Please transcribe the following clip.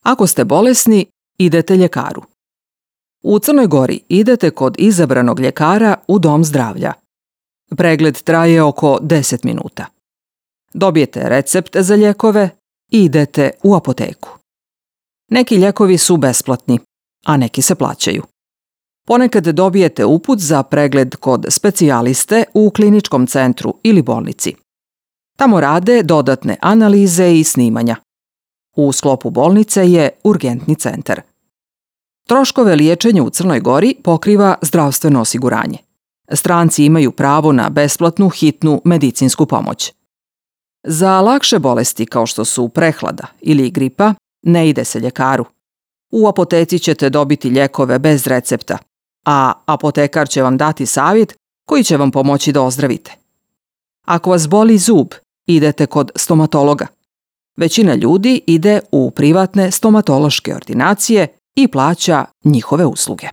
Ako ste bolesni, idete ljekaru. U Crnoj Gori idete kod izabranog ljekara u dom zdravlja. Pregled traje oko 10 minuta. Dobijete recept za lijekove i idete u apoteku. Neki lijekovi su besplatni, a neki se plaćaju. Ponekad dobijete uput za pregled kod specijaliste u kliničkom centru ili bolnici. Tamo rade dodatne analize i snimanja. U sklopu bolnice je urgentni centar. Troškove liječenja u Crnoj Gori pokriva zdravstveno osiguranje. Stranci imaju pravo na besplatnu hitnu medicinsku pomoć. Za lakše bolesti kao što su prehlada ili gripa ne ide se ljekaru. U apoteci ćete dobiti lijekove bez recepta, a apotekar će vam dati savjet koji će vam pomoći da ozdravite. Ako vas boli zub, idete kod stomatologa. Većina ljudi ide u privatne stomatološke ordinacije i plaća njihove usluge.